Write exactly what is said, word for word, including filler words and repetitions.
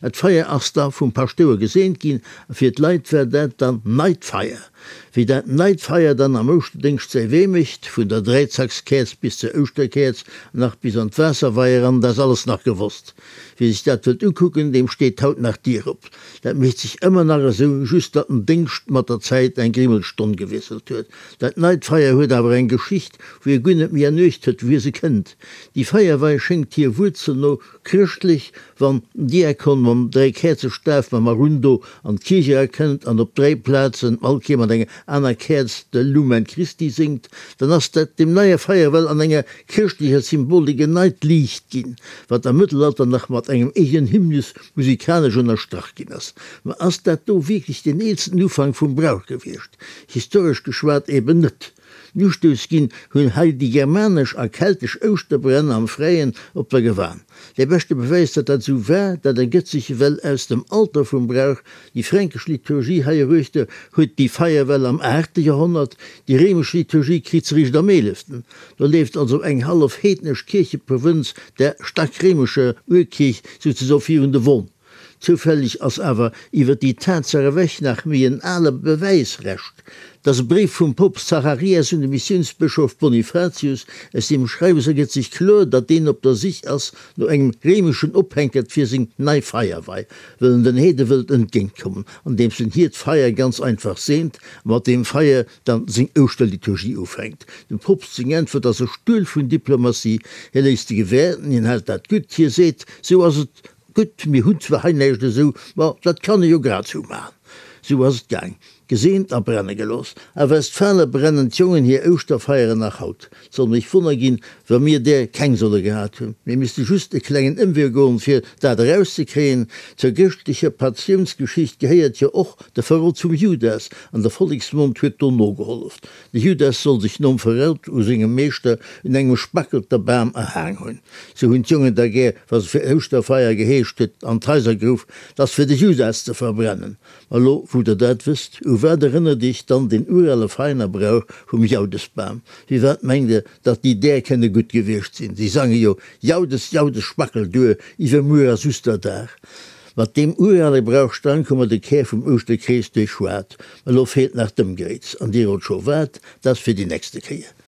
Dat Feier ass da vum Paschtouer geseent ginn a fir d'Leit war dat dann neit Feier. Wéi dat neit Feier dann am Ouschterdéngscht säi Wee mécht, vun der Dräizackskäerz bis zur Ouschterkäerz an nach bis an d'Waasserwei eran, dat ass alles nach gewosst. Wie sech dat wëllt ukucken, deem steet haut nach d'Dier op. Dat mécht sech ëmmer nach esou, just datt den Déngscht mat der Zäit eng Grimmelstonn gewiesselt huet. Dat neit Feier huet awer eng Geschicht, wou ee guer net méi an Uecht huet, wouhier se kënnt. Déi Feierwei schéngt hir Wuerzel no chrëschtlech, wann den Diakon mam Dräikäerzestaf, mam Arundo, an d'Kierch erakënnt an op dräi Plazen all Kéier mat enger aner Käerz de Lumen Christi séngt, dann ass dat deem neie Feier well an enger chrëschtlecher Symbolik en neit Liicht ginn, wat am Mëttelalter nach mat engem eegenen Hymnus musikalesch ënnerstrach ginn ass. Ma ass dat do wierklech deen eelsten Ufank vum Brauch gewiescht? Historesch geschwat eben net. Den Ustouss ginn hunn hei déi germanesch a keltesch Ouschterbränn am Fräien op der Gewan. Dee beschte Bewäis, datt dat esou war, dat ergëtt sech ewell aus dem Alter vum Brauch, Déi fränkesch Liturgie heieruechter huet déi Feier well am aachte Joerhonnert, déi réimesch Liturgie kritt se réischt am eeleften. Do leeft also eng hallef heednesch Kiercheprovënz der staark réimescher Urkierch souzesoe virun de Won. Zoufälleg ass awer iwwer déi Tatsaach ewech nach méi en ale Bewäisrescht, 't ass e Bréif vum Poopst Zacharias un de Missiounsbëschof Bonifatius. Aus deem Schreiwes ergëtt sech kloer, datt deen op der Sich ass no engem réimeschen Ophänkert fir seng nei Feierwei, wëll en den Heede wëllt entgéintkommen, andeems en hiert Feier ganz einfach seent a mat deem Feier dann seng Ouschterliturgie ufänkt. Dem Poopst seng Äntwert ass e Stuel vun Diplomatie, hie léisst de Gewäerten, hien hält dat gutt, hie seet, Sou ass et gutt, mir hunn zwar hei näischt esou, ma dat kann e jo grad sou maachen. Sou ass et gaang. Geseent a brenne gelooss. A Westfale brennen d'Jongen hir Ouschterfeieren nach haut. 't soll mech wonner ginn, wa mir där keng solle gehat hunn. Mir misste just e klengen Ëmwee goen, fir dat erauszekréien. Zur chrëschtlecher Passiounsgeschicht gehéiert jo och de Verrot vum Judas, an de Volleksmond huet do nogehollef. De Judas soll sech nom Verrot u sengem Meeschter un engem Spackelter Bam erhaang hunn. Sou hunn d'Jongen da gär, wa se fir Ouschterfeier geheescht huet, an d'Haiser geruff, 't ass fir de Judas ze verbrennen. Ma lo wou der dat wësst, u wat erënnert iech dann deen urale Veiner-Brauch vum Jaudesbam? Firwat mengt der, datt déi där kënne gutt gewiescht sinn? Si sange jo, Jaudes, Jaudes, Spackel duer, iwwermuer ass Usterdag. Mat deem urale Brauch Stank hu mer de Kär vum Ouschterkrees duerchschwat. Ma lo feelt nach d'Ëmgréiz. An dir rot scho wat, dat ass fir déi nächste Kéier.